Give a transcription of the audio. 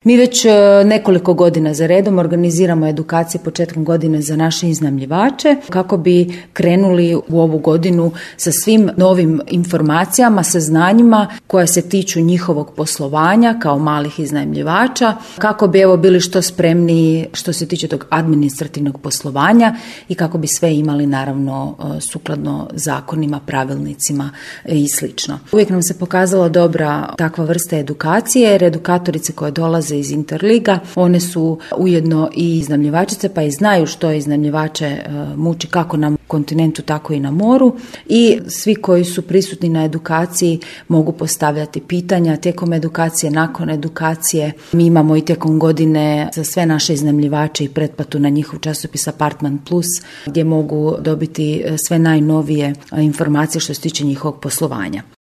Mi već nekoliko godina za redom organiziramo edukacije početkom godine za naše iznajmljivače kako bi krenuli u ovu godinu sa svim novim informacijama, saznanjima koja se tiču njihovog poslovanja kao malih iznajmljivača, kako bi bili što spremniji što se tiče tog administrativnog poslovanja i kako bi sve imali naravno sukladno zakonima, pravilnicima i slično. Uvijek nam se pokazala dobra takva vrsta edukacije jer edukatorice koje dolaze iz Interliga, one su ujedno i iznajmljivačice pa i znaju što iznajmljivače muči kako na kontinentu tako i na moru i svi koji su prisutni na edukaciji mogu postavljati pitanja tijekom edukacije, nakon edukacije. Mi imamo i tijekom godine za sve naše iznajmljivače i pretplatu na njihov časopis Apartman Plus gdje mogu dobiti sve najnovije informacije što se tiče njihovog poslovanja.